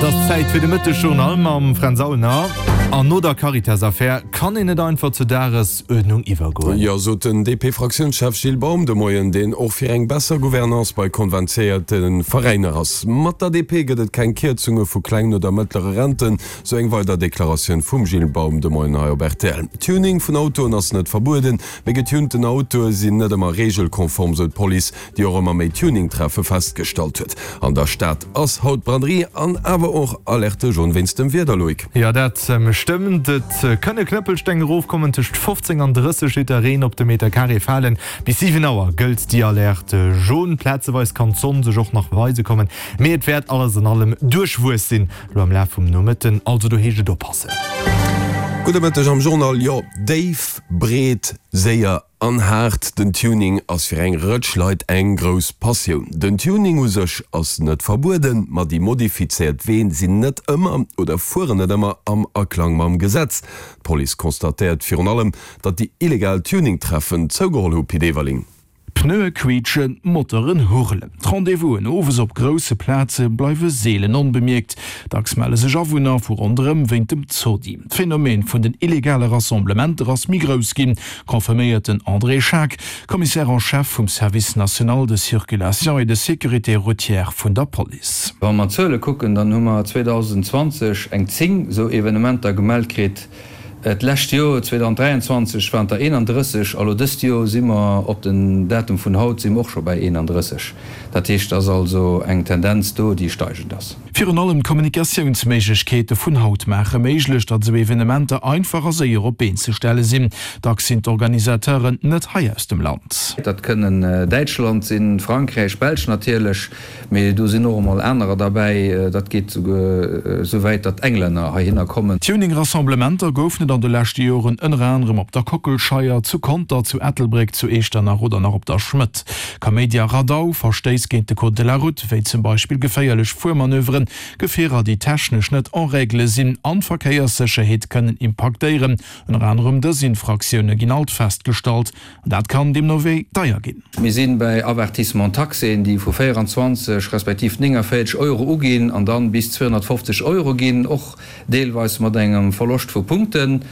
Et ass Zäit fir de Mëttesjournal mam Fränz Aulner. An no der Caritas-Affär kann een net einfach zur Dagesuerdnung iwwergoen. Jo, sot den DP-Fraktiounschef Gilles Baum de Moien, deen och fir eng besser Gouvernance bei konventiéierte Veräiner ass. Mat der DP gëtt et keng Kierzunge vu klengen oder mëttlere Renten, sou eng weider Deklaratioun vum Gilles Baum de Moien hei op rtl. Tuning vun Autoen ass net verbueden, mee getunten Autoe sinn net ëmmer reegelkonform, sou d'Police. déi och ëmmer méi Tuning-Treffe festgestallt huet. An der Stad ass haut Braderie an awer och Alerte jaune wéinst dem Wieder, Loïc. Jo, dat stëmmt. Et kënne Knëppelsteng erofkommen, tëscht 15 an 30 Liter Reen op de Meter Carré falen. Bis 7 Auer gëllt déi Alerte jaune. Plazeweis kann d'Sonn sech och nach weise kommen, mee et wäert alles an allem duerchwuess sinn elo am Laf vum Nomëtten. Also do heescht et oppassen. Gudde Mëtteg am Journal. Jo, déif, breet, séier An haart, den Tuning ass fir eng Rëtsch Leit eng grouss Passioun. Den Tuning u sech ass net verbueden, ma déi modifizéiert Ween sinn net ëmmer oder fueren net ëmmer am Aklang mam Gesetz. D'Police constatéiert virun allem, datt déi illegal Tuning-Treffen zougeholl hu, Pit Everling. Pneue quietschen, Moteuren hurlen. D'Rendez-vousen owes op grousse Plaze bleiwe seelen onbemierkt. Dacks melle sech Awunner vu ronderëm wéint dem Zodi. D'Phänomen vun den illegale Rassemblementer ass méi grouss ginn, confirméiert den André Schaack, Commissaire en chef vum Service national de circulation et de sécurité routière vun der Police. Wa mer d'Zuele kucken, dann hu mer 2020 eng 10 esou Evenementer gemellt kritt. D'lescht Joer, 2023, waren et der 31 a lo dëst Joer si mer op den Datum vun haut si mer och scho bäi 31. Dat heescht, et ass also eng Tendenz do, déi steigend ass. Virun allem d'Kommunikatiounsméiglechkeete vun haut maache méiglech, datt esou Evenementer einfach a séier op d'Been ze stelle sinn. Dacks sinn d'Organisateuren net hei aus dem Land. Dat kënnen Däitschland sinn, Frankräich, Belsch natierlech, mee do sinn och emol anerer derbäi. Dat geet souguer esou wäit, datt Englänner heihinner kommen. Tuning-Rassemblementer goufen et an de leschte Joren ënner anerem op der Kockelscheier, zu Conter, zu Ettelbréck, zu Echternach oder nach op der Schmëtt. Kaméidi a Radau, Verstéiss géint de Code de la Route, wéi zum Beispill geféierlech Fuermanöveren, Gefierer, déi technesch net en règle sinn an d'Verkéierssécherheet kënnen impaktéieren. Ënner anerem dës Infraktioune ginn alt festgestallt an dat kann deemno wéi deier ginn. Mir si bäi Avertissement-taxéen, déi vu 24 respektiv 49 Euro uginn an dann bis 250 Euro ginn, och deelweis mat engem Verloscht vu Punkten.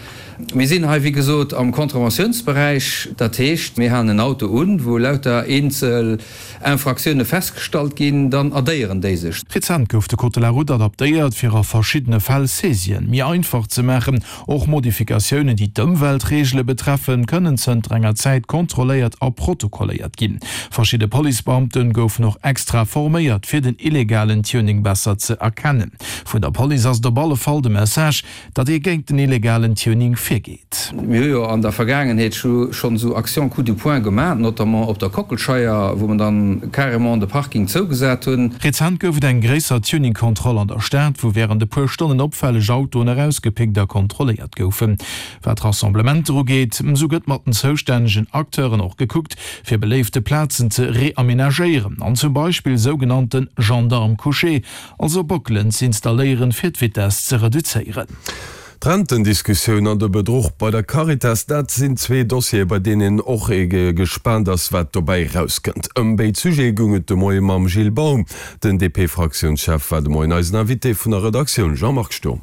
Mir sinn hei, wéi gesot, am Contraventiounsberäich. Dat heescht, mir halen en Auto un, wou lauter eenzel Infractioune festgestallt ginn, dann addéieren déi sech. Rezent gouf de Code de la route adaptéiert, fir a verschiddene Fäll Saisien méi einfach ze maachen. Och Modifikatiounen, déi d'Ëmweltreegele betreffen, kënnen zënter enger Zäit kontrolléiert a protokolléiert ginn. Verschidde Policebeamte goufen och extra forméiert, fir den illegalen Tuning besser ze erkennen. Vun der Police ass et op alle Fall de Message, datt ee géint den illegalen Tuning virgeet. Mir hu jo an der Vergaangenheet schonn esou Actions coup de poing gemaach, notamment op der Kockelscheier, wou mer dann carrément de Parking zougesat hunn. Rezent gouf et eng gréisser Tuning-Kontroll an der Stad, wou wärend e puer Stonnen opfälleg Autoen erausgepickt a kontrolléiert goufen. Wat Rassemblementer ugeet, esou gëtt mat den zoustännegen Acteuren och gekuckt, fir beléifte Plazen ze reamenagéieren an zum Beispill sougenannte Gendarmes couchés, Also Bockelen z'installéieren fir d'Vitesse ze reduzéieren. D'Rentendiskussioun an de Bedruch bei der Caritas, dat sinn zwee Dossiere bei deenen een och gespaant ass, wat dobäi erauskënnt. Ëm béid Sujete goung et de Moie mam Gilles Baum. Den DP-Fraktiounschef war de Moien eisen Invité vun der Redaktioun. Jean-Marc Sturm.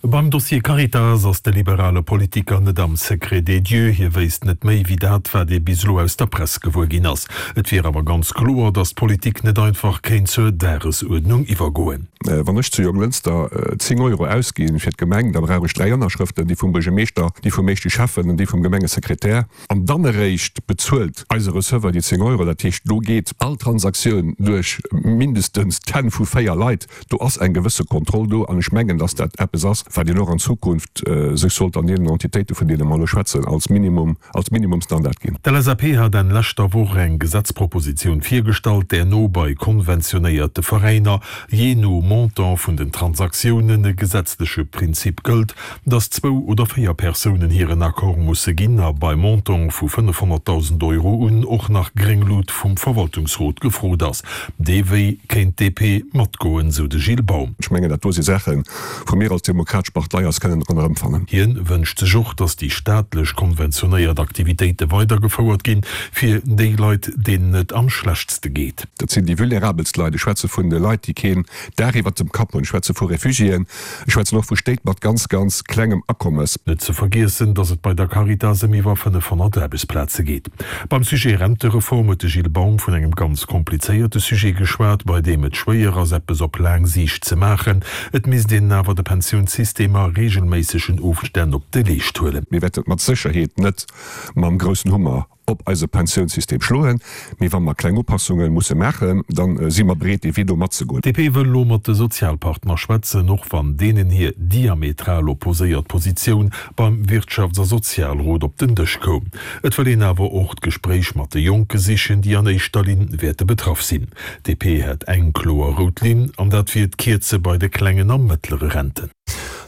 Beim Dossier Caritas ass de liberale Politiker net am Secret des dieux. Hie wéisst net méi wéi dat, wat ee bis elo aus der Press gewuer ginn ass. Et wier awer ganz kloer, datt d'Politik net einfach kéint zur Dagesuerdnung iwwergoen. Wann ech zu Jonglënster 10 Euro ausgi fir d'Gemeng, da brauch ech 3 Ënnerschrëften, déi vum Buergermeeschter, déi vum éischte Schäffen an déi vum Gemengesekretär. An dann eréischt bezuelt eise Receveur déi 10 Euro. Dat heescht, do geet all Transaktioun duerch mindestens d'Hänn vu 4 Leit. Do ass eng gewësse Kontroll do an ech mengen, dass dat eppes ass, wat een och an Zukunft sech sollt an deenen Entitéiten, vun deene mer elo schwätzen, als Minimum, als Minimumstandard ginn. D'LSAP hat Enn leschter Woch eng Gesetzpropositioun virgestallt, där no bei konventionéierte Veräiner, jee no Montant vun den Transaktiounen, e gesetzleche Prinzip gëllt, dass zwou oder véier Persounen hiren Accord musse ginn a bei Montantë vu 500.000 Euro un och nach gréng Lut vum Verwaltungsrot gefrot ass. Dee Wéi kéint d'DP matgoen, sou de Gilles Baum. Ech mengen, dat do si Saachen, wou mir als demokratesch. Demokratesch Partei eis kënnen dran erëmfannen. Hien wënscht sech och, datt déi staatlech konventionéiert Aktivitéite weidergefouert ginn, fir déi Leit, deenen et am schlechtste geet. Dat sinn déi vulnerabelst Leit. Ech schwätze vun de Leit, déi keen Daach iwwert dem Kapp hunn. Ech schwätze vu Refugiéen. Ech schwätzen och vu Stéit mat ganz, ganz klengem Akommes. Net ze vergiessen, datt et bei der Caritas ëm iwwer 500 Aarbechtsplaze geet. Beim Sujet Rentereform huet de Gilles Baum vun engem ganz komplizéierte Sujet geschwat, bei deem et schwéier ass, eppes op laang Siicht ze maachen. Et misst een awer de Pensiounssystem a reegelméissegen Ofstänn op de Leescht huelen. Mir wäerten et mat Sécherheet net mam groussen Hummer op eise Pensiounssystem schloen, mee wa mer kleng Upassunge musse maachen, da si mer bereet, dee Wee do matzegoen. D'DP wëll elo mat de Sozialpartner schwätzen, och wann deenen hir diametral opposéiert Positioun beim Wirtschafts a Sozialrot op den Dësch koum. Et wëll een awer och d'Gespréich mat de Jonke sichen, déi an éischter Linn wäerte betraff sinn. D'DP hätt eng kloer rout Linn, an dat wier d'Kierze bei de klengen a mëttlere Renten.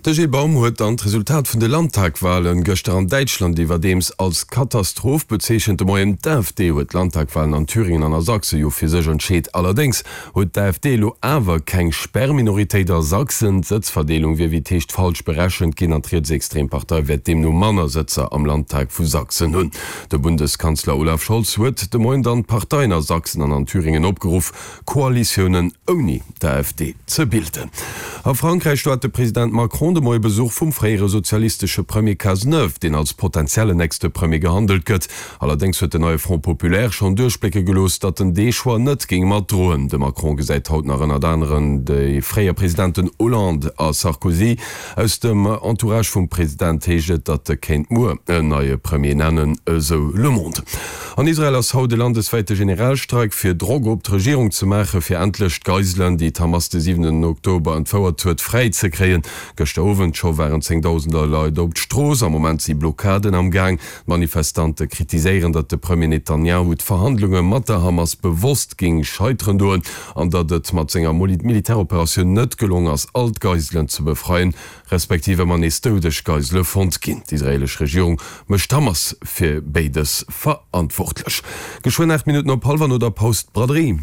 De Gilles Baum huet dann d'Resultat vun de Landtagwalen gëschter an Däitschland iwwerdeems als Katastroph bezeechent. De Moien, D'AfD huet d'Landtagwalen an Thüringen an a Sachse jo fir sech entscheet. Allerdéngs huet d'AfD elo awer keng Sperrminoritéit a Sachsen. D'Sëtzverdeelung wier wéi et heescht falsch berechent ginn an d'rietsextrem Partei wäert deemno manner Sëtzer am Landtag vu Sachsen hunn. De Bundeskanzler Olaf Scholz huet de Moien dann d'Parteien a Sachsen an an Thüringen opgeruff, Koalitiounen ouni d'AfD ze bilden. A Frankräich, do hat de President Macron de Moie Besuch vum fréiere sozialistesche Premier Cazeneuve, deen als potentiellen nächste Premier gehandelt gëtt. Allerdéngs huet den neie Front Populaire schonn duerchblécke gelooss, datt en dee Choix net géing matdroen. De Macron gesäit haut nach ënnert aneren déi fréier Presidenten Hollande a Sarkozy. Aus dem Entourage vum President heescht et, datt e kéint muer en neie Premier nennen, esou Le Monde. An Israel ass haut e landeswäite Generalstreik, fir Drock op d'Regierung ze maachen, fir endlech d'Geiselen, déi d'Hamas de siwenten Oktober entfouert huet, fräi ze kréien. Gëschter Owend scho waren zéngdausender Leit op d'Strooss. Am Moment si Blockaden am Gaang. D'Manifestante kritiséieren, datt de Premier Netanjahu d'Verhandlunge mat der Hamas bewosst géing scheiteren doen an datt et mat senger Militäroperatioun net gelong ass, all d'Geiselen ze befreien, respektiv ëmmer nees doudeg Geisele fonnt ginn. D'israeelesch Regierung mécht d'Hamas fir béides verantwortlech. Geschwënn 8 Minutten op hallwer no der Paus d'Braderie.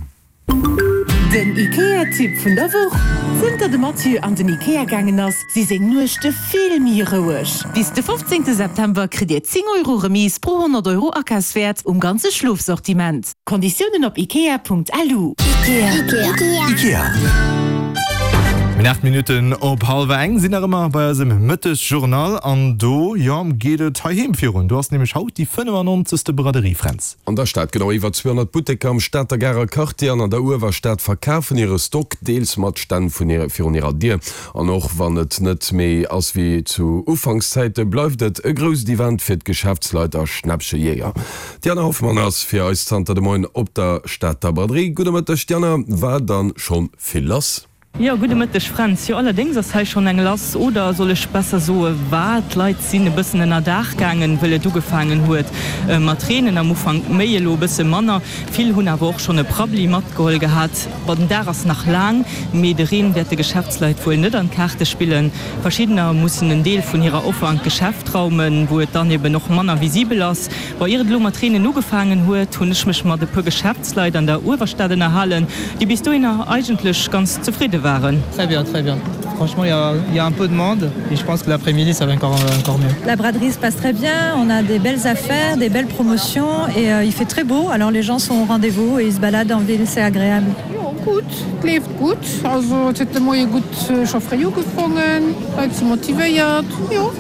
Den IKEA-Tipp vun der Woch, Zënter de Mathieu an den IKEA gaangen ass, si seng Nuechte vill méi roueg. Bis de 15 September kritt Dir 10 Euro Remise pro 100 Euro Akafswäert um ganze Schlofsortiment. Konditiounen op ikea.lu. Ikea. Mir 8 Minutten op hallwer eng sinn nach ëmmer bei eisem Mëttesjournal an do, jo, geet et heiheem virun. Do ass nämlech haut déi 95. Braderie, Fränz. An der Stad, genau iwwer 200 Butteker am Stater Garer Quartier an an der Uewerstad verkafen hire Stock, deels mat Stänn vun virun hirer Dier. An och wann et net méi ass wéi zu Ufankszäite, bleift et e grousst Event fir d'Geschäftsleit a Schnäppchejéier. D'Diana Hoffmann ass fir eis zanter de Moien op der Stater Braderie. Gudde Mëtteg Diana, war dann schonn vill lass? Jo, gudde Mëtteg Fränz. Jo, allerdéngs ass hei schonn eng lass, oder soll ech besser soe war. D'Leit sinn e bëssen ënner Daach gaangen, wëll et ugefaangen huet mat reenen. Am Ufank méi, elo e bësse manner. Vill hunn awer och schonn e Prabbeli matgeholl gehat. Bon, den Dag ass nach laang, mee de Reen wäert de Geschäftsleit wuel net an d'Kaarte spillen. Verschiddener mussen en Deel vun hirer Offer an d'Geschäft raumen, wou et dann eben och manner visibel ass. Bon, ier et elo mat reenen ugefaangen huet, hunn ech mech mat e puer Geschäftsleit an der Uewerstad ënnerhalen, déi bis dohinner eigentlech ganz zefridde waren. Très bien, très bien. Franchement, il y a, il y a un peu de monde et je pense que l'après-midi ça va encore, encore mieux. La braderie se passe très bien, on a des belles affaires, des belles promotions et euh, il fait très beau, alors les gens sont au rendez-vous et ils se baladent en ville, c'est agréable. Jo gutt, et leeft gutt. Also et huet de Moie gutt scho fréi ugefongen, d'Leit si motivéiert, jo.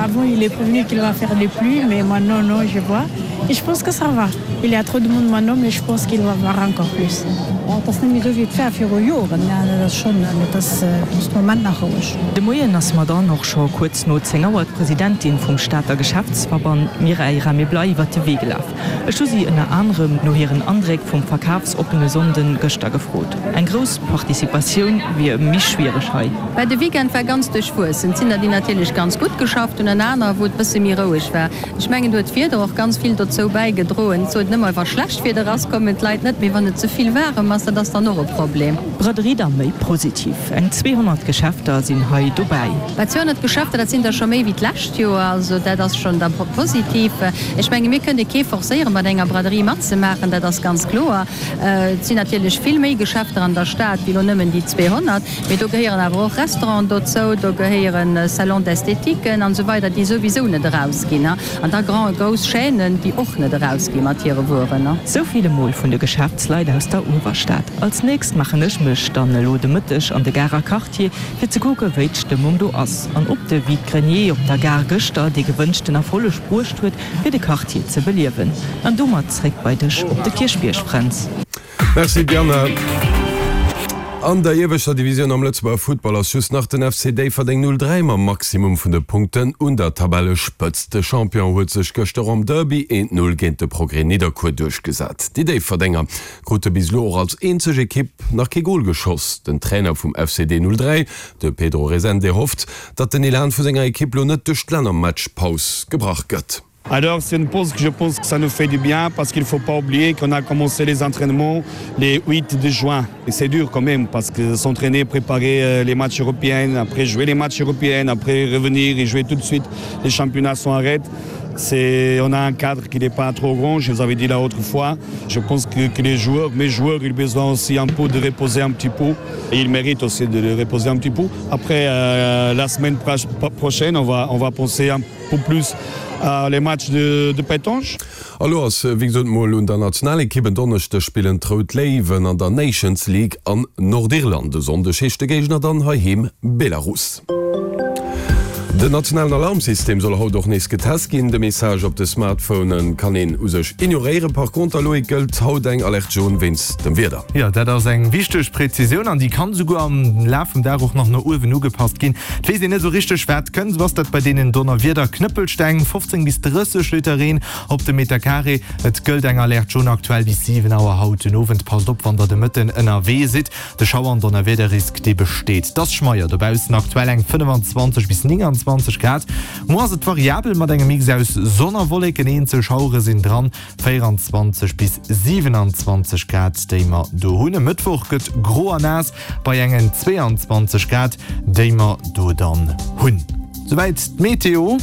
Avant il est prévenu qu'il va faire des pluies mais maintenant non je vois et je pense que ça va il y a trop de monde maintenant mais je pense qu'il va avoir encore plus. Et ass net méi esou wéi et war viru Joren, dat ass schonn, mee et ass de Moment nach roueg. De Moien ass mer dann och scho kuerz no 10 Auer d'Presidentin vum Stater Geschäftsverband Mireille Raméblay iwwert de Wee gelaf. Ech hu si ënner anerem no hiren Andréck vum verkafsoppene Sonnden gëschter gefrot. Eng grouss Participatioun wier méi schwiereg hei. Well de Weekend war ganz duerchwuessen. Et sinn der, déi natierlech ganz gutt geschafft hunn an aner, wou et bësse méi roueg war. Ech mengen, do huet d'Wieder och ganz vill dozou bäigedroen. gesot ëmmer, wa schlecht Wieder ass, kommen d'Leit net, mee wann et ze vill waarem ass, dat ass dann och e Problem. Braderie da méi positiv. Eng 200 Geschäfter sinn hei dobäi. Mä 200 Geschäfter, dat sinn der scho méi wéi d'lescht Joer, also dat ass schonn da positiv. Ech menge mir kënne kee forcéieren, bei enger Braderie matzemaachen, dat ass ganz kloer. Et sinn natierlech vill méi Geschäfter an der Stad wéi elo nëmmen déi 200, mee do gehéieren awer och Restauranten dozou, do gehéiere Salons d'esthétiquen an esou weider, déi souwisou net erausginn, an da grand, grouss Chaînen, déi och net erausgi mat hire Wueren. Sou vill emol vun de Geschäftsleit aus der Uewerstad. Als nächst maachen ech mech dann elo de Mëtteg an de Garer Quartier, fir ze kucke wéi d'Stëmmung do ass an ob de Vide-grenier op der Gare gëschter dee gewënschten Erfolleg bruecht huet, fir de Quartier ze beliewen. An domat zréck bei dech op de Kierchbierg, Fränz. Merci Diana. An der ieweschter Divisioun am Lëtzebuerger Futtball ass just nach den FC Déifferdeng 03 mam Maximum vun de Punkten un der Tabellespëtzt. De Champion huet sech gëschter am Derby 1, 0 géint de Progrès Nidderkuer duerchgesat. Déi Déifferdenger krute bis elo och als eenzeg Ekipp nach kee Gol geschoss. Den Trainer vum FCD 03, de Pedro Resende hofft, datt den Elan vu senger Ekipp lo net duerch d'Lännermatchpaus gebrach gëtt. Alors c'est une pause que je pense que ça nous fait du bien parce qu'il faut pas oublier qu'on a commencé les entraînements les 8 de juin et c'est dur quand même parce que s'entraîner préparer euh, les matchs européens après jouer les matchs européens après revenir et jouer tout de suite les championnats sont arrêtés c'est on a un cadre qui n'est pas trop grand je vous avais dit la autre fois je pense que, que les joueurs mes joueurs ils besoin aussi un peu de reposer un petit peu et ils méritent aussi de le reposer un petit peu après euh, la semaine prochaine on va on va penser un peu plus à les matchs de, de pétange. A lo ass wéi gesot mol un der Nationalekipp. En Donneschdeg spillen d'Rout Léiwen an der Nations League an Nordirland. E Sonndeg heescht de Géigner dann heiheem Belarus. Den nationalen Alarmsystem soll haut och nees getest ginn. De Message op de Smartphone kann een u sech ignoréieren. Par conter, Loïc, gëllt haut eng Alerte jaune wéinst dem Wieder. Jo, dat ass eng wichteg Präzisioun an déi kann esouguer am Laf vum Dag och nach no uewen ugepasst ginn. Et weess een net esou richteg, wat kënnt. Esou ass dat bei deenen Donnerwieder. Knëppelsteng, 15 bis 30 Liter Reen op de Meter Carré. Et gëllt eng Alerte jaune aktuell bis 7 Auer haut den Owend. Passt op, wann der de Mëtten ënnerwee sidd. De Schauer an Donnerwiederrisk, dee besteet. Et ass schmeier dobaussen, aktuell eng 25 bis 29 Grad. Muer ass et variabel mat engem Mix aus Sonn a Wolleken, eenzel Schauere sinn dran. 24 bis 27 Grad, déi mer do hunn. E Mëttwoch gëtt gro a naass bei engen 22 Grad, déi mer do dann hunn. Souwäit d'Meteo.